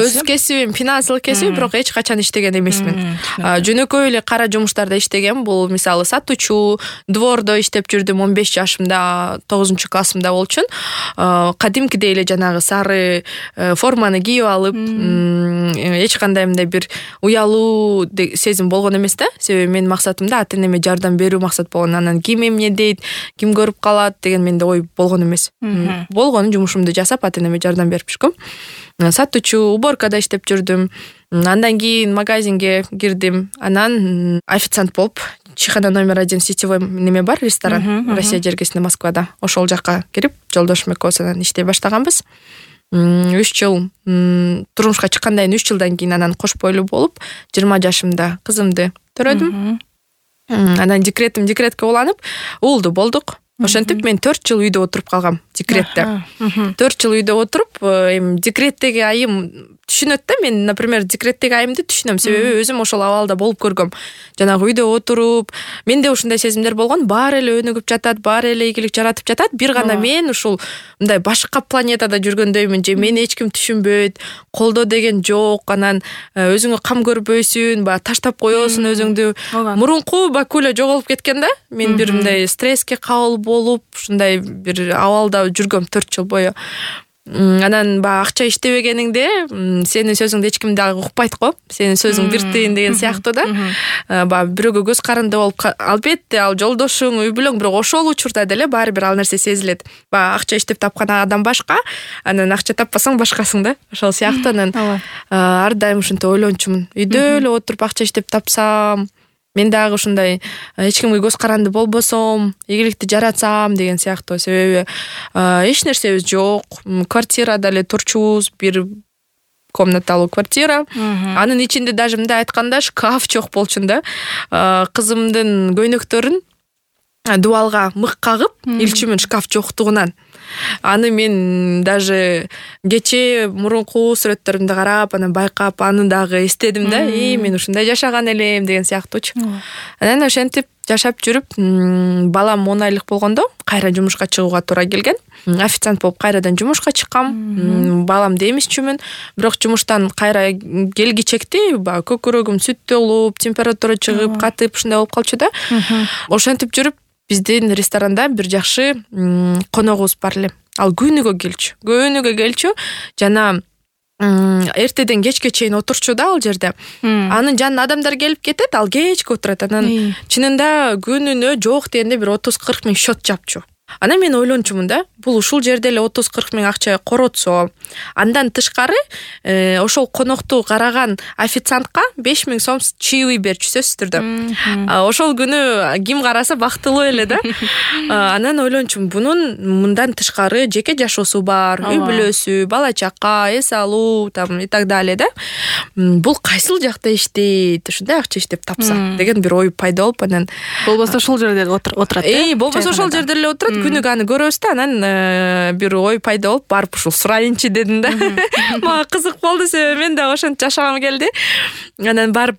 өз кесибим финансылык кесип, бирок эч качан иштеген эмесмин. Жөнөкөй эле кара жумуштарда иштегем. Бул мисалы сатуучу, двордо иштеп жүрдүм 15 жашымда, 9 классымда болчун. Кадимкидей эле жанагы сары форманы кийип алып, эч кандай мындай бир уялуу сезим болгон эмес да. Себеби менин максатымда ата-энеме жардам берүү максат болгон. Анан ким эмне дейт, ким көрүп калат деген менде ой болгон эмес. Болгон жумушумду жасап ата-энеме жардам берип жүргөм. Сатуучу, уборкада иштеп жүрдүм. Андан кийин магазинге кирдим. Анан официант болуп, Чайхана номер 1 сетевой неме бар, ресторан Россия жергесинде, Москвада. Ошол жакка кирип, жолдошум экөөбүз анан иштей баштаганбыз. 3 жыл турмушка чыккандан 3 жылдан кийин анан кош бойлуу болуп, 20 жашымда кызымды төрөдүм. Анан декретке уланып, уулду болдук. Ошентип мен 4 жыл үйдө отуруп калгам декретте. 4 жыл үйдө отуруп, эми декреттеги айым түшүнөт да. Мен, например, декреттеги айымды түшүнөм, себеби өзүм ошол абалда болуп көргөм. Жанагы үйдө отуруп, менде ушундай сезимдер болгон, баары эле өнүгүп жатат, баары эле ийгилик жаратып жатат. Бир гана мен ушул мындай башка планетада жүргөндөймүн же мени эч ким түшүнбөйт, колдоо деген жок, анан өзүңө кам көрбөйсүн, таштап коесуң өзүңдү. Мурунку Бакуля жоголуп кеткен да. Мен бир мындай стресске кабыл болуп, ушундай бир абалда жүргөм 4 жыл бою. Анан акча иштебегениңде сенин сөзүңдү эч ким дагы укпайт го. Сенин сөзүң бир тыйын деген сыяктуу да. Бирөөгө көз каранды болуп, албетте ал жолдошуң, үй бүлөң, бирок ошол учурда деле баары бир ал нерсе сезилет. Акча иштеп тапкан адам башка, анан акча таппасаң башкасың да. Ошол сыяктуу анан ар дайым ушинтип ойлончумун. Үйдө эле отуруп акча иштеп тапсам, мен дагы ушундай эч кимге көз каранды болбосом, ийгиликти жаратсам деген сыяктуу. Себеби эч нерсебиз жок. Квартирада эле турчубуз, бир комнаталуу квартира. Анын ичинде даже мындай айтканда шкаф жок болчун да. Кызымдын көйнөктөрүн дубалга мык кагып илчүмүн шкаф жоктугунан. Аны мен даже кечээ мурунку сүрөттөрүмдү карап, анан байкап, аны дагы эстедим да. Мен ушундай жашаган элем деген сыяктуучу. Анан ошентип жашап жүрүп, балам 10 айлык болгондо кайра жумушка чыгууга туура келген. Официант болуп кайрадан жумушка чыккам. Баламды эмизчүмүн, бирок жумуштан кайра келгичекти көкүрөгүм сүт толуп, температура чыгып, катып ушундай болуп калчу да. Ошентип жүрүп, биздин ресторанда бир жакшы коногубуз бар эле. Ал күнүгө келчү. Жана эртеден кечке чейин отурчу да ал жерде. Анын жанына адамдар келип кетет, ал кечке отурат. Анан чынында күнүнө жок дегенде бир 30-40 миң счет жапчу. Анан мен ойлончумун да, бул ушул жерде эле 30-40 миң акча коротсо, андан тышкары ошол конокту караган официантка 5 миң сом чаевый берчү сөзсүз түрдө. Ошол күнү ким караса бактылуу эле да. Анан ойлончумун, бунун мындан тышкары жеке жашоосу бар, үй бүлөсү, бала чака, эс алуу, там и так далее да. Бул кайсыл жакта иштейт, ушундай акча иштеп тапса деген бир ой пайда болуп, анан болбосо ошол жерде отурат. Болбосо ошол жерде эле отурат. Күнүгө аны көрөбүз да, анан бир ой пайда болуп, барып ушул сурайынчы дедим да. Мага кызык болду, себеби мен дагы ошентип жашагым келди. Анан барып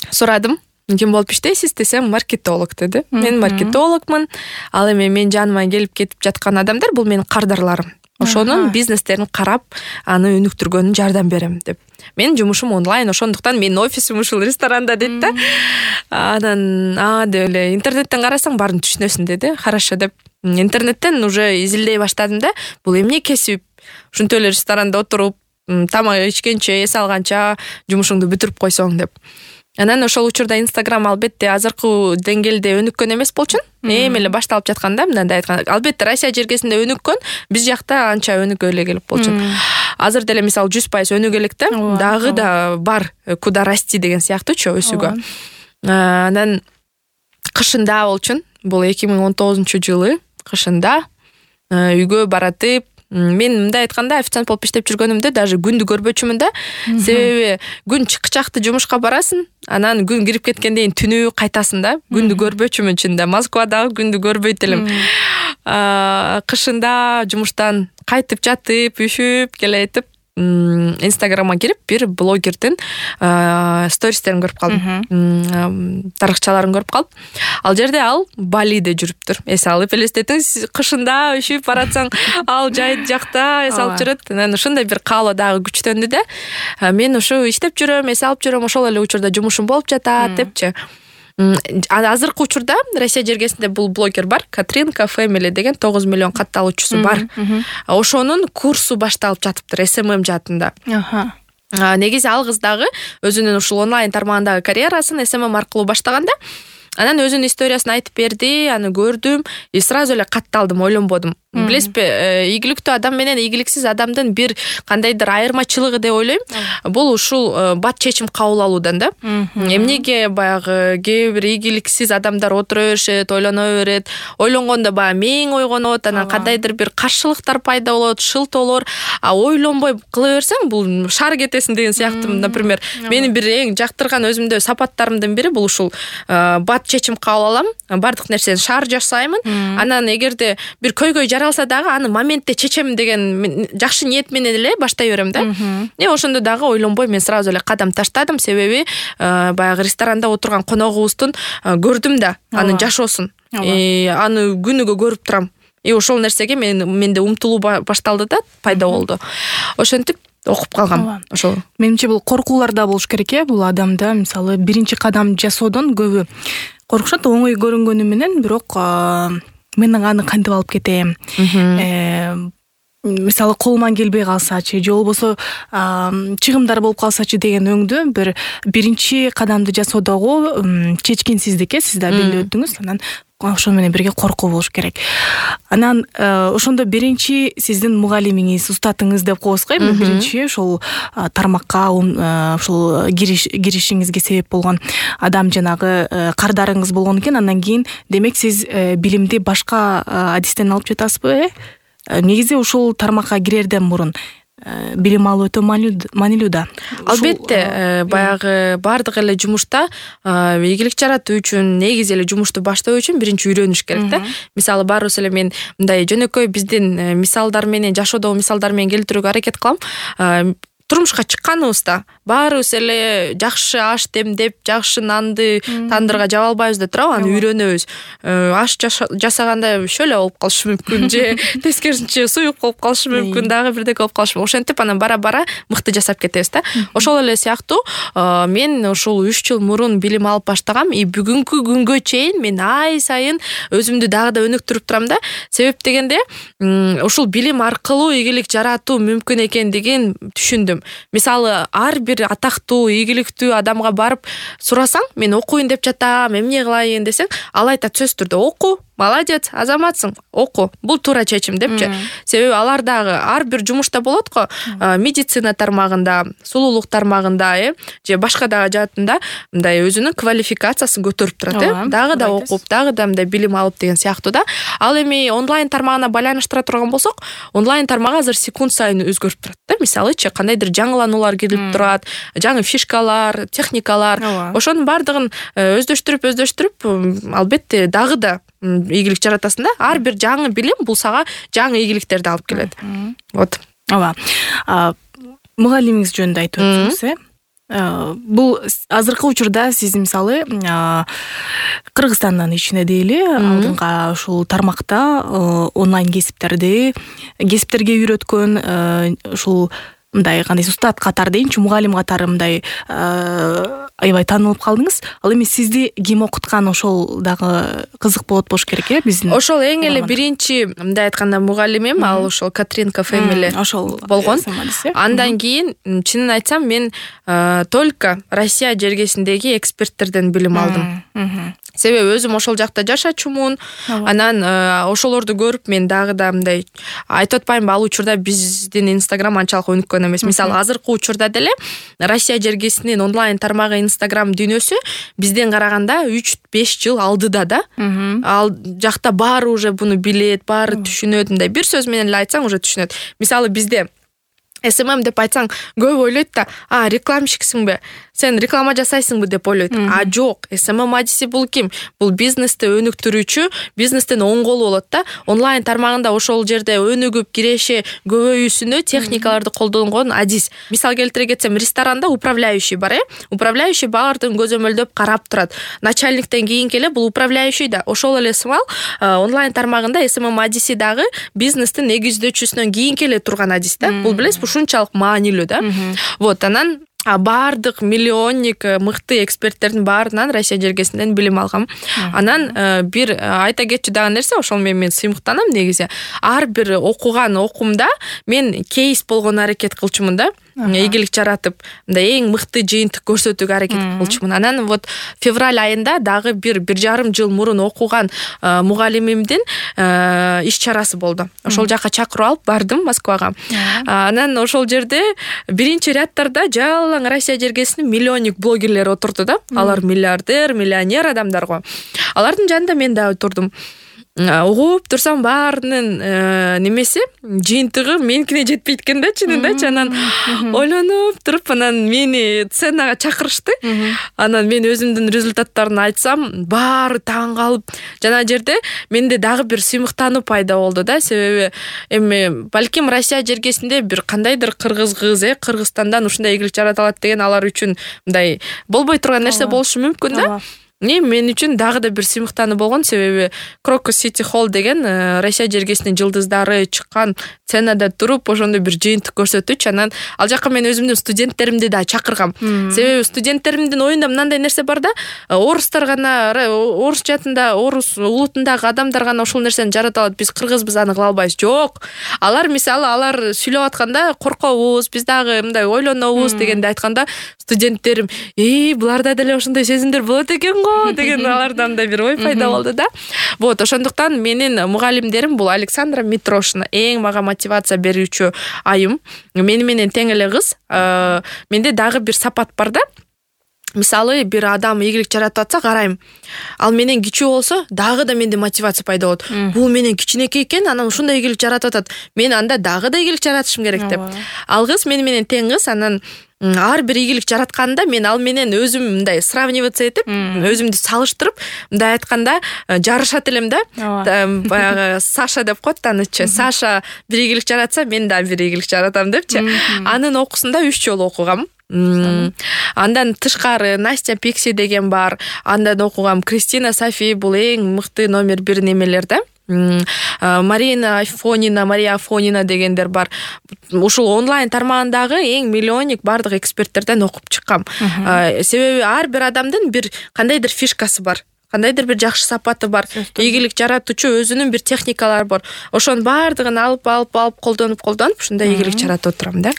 сурадым, ким болуп иштейсиз десем, маркетолог деди. Мен маркетологмун. Ал эми мен жаныма келип кетип жаткан адамдар бул менин кардарларым. Ошонун бизнестерин карап, аны өнүктүргөнүн жардам берем деп. Менин жумушум онлайн, ошондуктан менин офисим ушул ресторанда дейт да. Анан деп эле интернеттен карасаң баарын түшүнөсүн деди. Хорошо деп интернеттен уже изилдей баштадым да. Бул эмне кесип? Ушинтип эле ресторанда отуруп, тамак ичкенче, эс алганча жумушуңду бүтүрүп койсоң деп. Анан ошол учурда Instagram албетте азыркы деңгээлде өнүккөн эмес болчун. Эми эле башталып жатканда, мындай айтканда, албетте Россия жергесинде өнүккөн, биз жакта анча өнүгө эле келип болчун. Азыр деле мисалы 100% өнүгө элек да, дагы да бар куда расти деген сыяктуучу өсүүгө. Анан кышында болчун, бул 2019-жылы кышында үйгө баратып, мен мындай айтканда официант болуп иштеп жүргөнүмдө даже күндү көрбөчүмүн да. Себеби күн чыкчакты жумушка барасың, анан күн кирип кеткенден кийин түнү кайтасың да. Күндү көрбөчүмүн чында. Москвадагы күндү көрбөйт элем. Кышында жумуштан кайтып жатып, үшүп келетип, Инстаграмга кирип бир блогердин стористерин көрүп калдым. Тарыхчаларын көрүп калып, ал жерде ал Балиде жүрүптүр. Эс алып элестетиңиз, кышында üşүп баратсаң, ал жайыт жакта эс алып жүрөт. Анан ушундай бир каалоо дагы күчтөндү да. Мен ушу иштеп жүрөм, эс алып жүрөм, ошол эле учурда жумушум болуп жатат депчи. Азыркы учурда Россия жергесинде бул блогер бар, Катринка Family деген 9 миллион катталуучусу бар. Ошонун курсу башталып жатыптыр SMM жаатында. Негизи ал кыз дагы өзүнүн ушул онлайн тармагындагы карьерасын SMM аркылуу баштаганда, анан өзүнүн историясын айтып берди, аны көрдүм, и сразу эле катталдым, ойлонбодум. Билесизби, ийгиликтүү адам менен ийгиликсиз адамдын бир кандайдыр айырмачылыгы деп ойлойм. Бул ушул бат чечим кабыл алуудан да. Эмнеге баягы кээ бир ийгиликсиз адамдар отура беришет, ойлоно берет, ойлонгондо баягы мээң ойгонот, анан кандайдыр бир каршылыктар пайда болот, шылтоолор, ойлонбой кыла берсең, бул шаар кетесиң деген сыяктуу. Например, менин бир эң жактырган өзүмдө сапаттарымдын бири бул ушул бат чечим кабыл алам, бардык нерсени шаар жасаймын. Анан эгерде бир көйгөй жаралса дагы аны моментте чечем деген жакшы ниет менен эле баштай берем да. Ошондо дагы ойлонбой мен сразу эле кадам таштадым, себеби баягы ресторанда отурган коногубуздун көрдүм да анын жашоосун. Аны күнүгө көрүп турам. Ошол нерсеге менде умтулуу башталды да, пайда болду. Ошентип окуп калгам. Ошол. Менимче бул коркуулар да болуш керек бул адамда. Мисалы, биринчи кадам жасоодон көбү коркушат, оңой көрүнгөнү менен, бирок мен аны кантип алып кетем? Мисалы, колуман келбей калсачы, же болбосо чыгымдар болуп калсачы деген өңдү биринчи кадамды жасоодогу чечкинсиздик, сиз да билип өттүңүз. Анан ошо менен бирге коркуу болуш керек. Анан ошондо биринчи сиздин мугалимиңиз, устатыңыз деп коебузго, биринчи ошол тармакка ошол киришиңизге себеп болгон адам жанагы кардарыңыз болгон экен. Андан кийин демек сиз билимди башка адистен алып жатасызбы? Негизи ушул тармакка кирерден мурун билим алуу өтө маанилүү да. Албетте, баягы бардык эле жумушта ийгилик жаратуу үчүн, негизи эле жумушту баштоо үчүн биринчи үйрөнүш керек да. Мисалы, баарыбыз эле мен мындай жөнөкөй биздин мисалдар менен, жашоодогу мисалдар менен келтирүүгө аракет кылам. Турмушка чыкканыбызда баарыбыз эле жакшы аш демдеп, жакшы нанды тандырга жаба албайбыз да турабы, аны үйрөнөбүз. Аш жасаганда шөлө болуп калышы мүмкүн, же тескерисинче суюк болуп калышы мүмкүн, дагы бирдеке болуп калышы мүмкүн. Ошентип анан бара-бара мыкты жасап кетебиз да. Ошол эле сыяктуу мен ушул 3 жыл мурун билим алып баштагам, и бүгүнкү күнгө чейин мен ай сайын өзүмдү дагы да өнүктүрүп турам да. Себеп дегенде ушул билим аркылуу ийгилик жаратуу мүмкүн экендигин түшүндүм. Мисалы, ар бир атактуу, ийгиликтүү адамга барып сурасаң, мен окуйн деп жатам, эмне кылайын десең, ал айтат сөзсүз түрдө: оку, молодец, азаматсың, оку, бул туура чечим депчи. Себеби алар дагы ар бир жумушта болот го, медицина тармагында, сулуулук тармагында, же башка дагы жаатында мындай өзүнүн квалификациясын көтөрүп турат, дагы да окуп, дагы да мындай билим алып деген сыяктуу да. Ал эми онлайн тармагына байланыштыра турган болсок, онлайн тармак азыр секунд сайын өзгөрүп турат да. Мисалычы, кандайдыр жаңылануулар келип турат, жаңы фишкалар, техникалар, ошонун бардыгын өздөштүрүп, албетте дагы да ийгилик жаратасың да. Ар бир жаңы билим бул сага жаңы ийгиликтерди алып келет. Вот. Мугалимиңиз жөнүндө айтып өтсөңүз, бул азыркы учурда сиз мисалы Кыргызстандын ичинде дейли, алдыңга ушул тармакта онлайн кесиптерге үйрөткөн ушул мындай кандай устат катары дейинчи, мугалим катары мындай аябай таанылып калдыңыз. Ал эми сизди ким окуткан, ошол дагы кызык болуш керек, биздин. Ошол эң эле биринчи мындай айтканда мугалимим ал ошол Катринка Family болгон. Андан кийин чынын айтсам мен только Россия жергесиндеги эксперттерден билим алдым. Себеби өзүм ошол жакта жашачумун. Анан ошолорду көрүп мен дагы да мындай айтып атпаймынбы, ал учурда биздин Instagram анчалык өнүккөн эмес. Мисалы, азыркы учурда деле Россия жергесинин онлайн тармагы Instagram дүйнөсү бизден караганда 3-5 жыл алдыда да. Ал жакта баары уже буну билет, баары түшүнөт. Мындай бир сөз менен эле айтсаң уже түшүнөт. Мисалы, бизде SMM деп айтсаң көп ойлойт да, рекламщиксиңби, сен реклама жасайсыңбы деп ойлойт. Жок, SMM адиси бул ким? Бул бизнести өнүктүрүүчү, бизнестин оң колу болот да. Онлайн тармагында ошол жерде өнүгүп, киреше көбөйүүсүнө техникаларды колдонгон адис. Мисал келтире кетсем, ресторанда управляющий бар, управляющий баардыгын көзөмөлдөп карап турат. Начальниктен кийинки эле бул управляющий да. Ошол эле сымал онлайн тармагында SMM адиси дагы бизнестин негиздөөчүсүнөн кийинки эле турган адис да. Бул билесизби, ушунчалык маанилүү да. Вот, анан баардык миллионник мыкты эксперттердин баарынан Россия жергесинен билим алгам. Анан бир айта кетчү дагы нерсе, ошол менен мен сыймыктанам негизи. Ар бир окуган окумда мен кейс болгону аракет кылчумун да. Ийгилик жаратып, мындай эң мыкты жыйынтык көрсөтүүгө аракет кылчумун. Анан вот февраль айында дагы бир жарым жыл мурун окуган мугалимимдин иш чарасы болду. Ошол жака чакырып алып бардым Москвага. Анан ошол жерде биринчи рядтарда жалаң Россия жергесинин миллионник блогерлери отурду да. Алар миллиардер, миллионер адамдар го. Алардын жанында мен дагы турдум. Угуп турсам баарынын немеси, жыйынтыгы меникине жетпейт экен да, чынындачы. Анан ойлонуп туруп, анан мени сценага чакырышты. Анан мен өзүмдүн результаттарын айтсам, баары таң калып, жана жерде менде дагы бир сыймыктануу пайда болду да. Себеби эми балким Россия жергесинде бир кандайдыр кыргыз кыз, Кыргызстандан ушундай ийгилик жарата алат деген алар үчүн мындай болбой турган нерсе болушу мүмкүн да. Мен үчүн дагы да бир сыймыктануу болгон, себеби Крокус Сити Холл деген Россия жергесинин жылдыздары чыккан сценада туруп ошондой бир жыйынтык көрсөтүүчү. Анан ал жака мен өзүмдүн студенттеримди да чакыргам. Себеби студенттеримдин оюнда мындай нерсе бар да, орустар гана, орус жатында, орус улутундагы адамдар гана ушул нерсени жарата алат, биз кыргызбыз аны кыла албайбыз. Жок. Алар мисалы сүйлөп атканда коркобуз, биз дагы мындай ойлонобуз дегенди айтканда, студенттерим, буларда деле ошондой сезимдер болот экен го деген алардан да бир ой пайда болду да. Вот, ошондуктан менин мугалимдерим бул Александра Митрошина, эң мага мотивация берүүчү айым. Мени менен тең эле кыз. Менде дагы бир сапат бар да. Мисалы, бир адам ийгилик жаратып атса, карайм. Ал менен кичүү болсо, дагы да менде мотивация пайда болот. Бул менен кичинекей экен, анан ушундай ийгилик жаратып атат. Мен анда дагы да ийгилик жаратышым керек деп. Ал кыз мени менен тең кыз, анан ар бир ийгилик жаратканда мен ал менен өзүм мындай сравниваться этип, өзүмдү салыштырып, мындай айтканда жарышат элем да. Баягы Саша деп коет танычы. Саша бир ийгилик жаратса, мен да бир ийгилик жаратам депчи. Анын окуусунда 3 жолу окугам. Андан тышкары Настя Пикси деген бар. Андан окугам Кристина Софи, бул эң мыкты номер 1 немелер да. Мария Афонина дегендер бар. Ушул онлайн тармагындагы эң миллионник бардык эксперттерден окуп чыккам. Себеби ар бир адамдын бир кандайдыр фишкасы бар. Кандайдыр бир жакшы сапаты бар. Ийгилик жаратуучу өзүнүн бир техникалары бар. Ошонун бардыгын алып колдонуп ушундай ийгилик жаратып отурам да.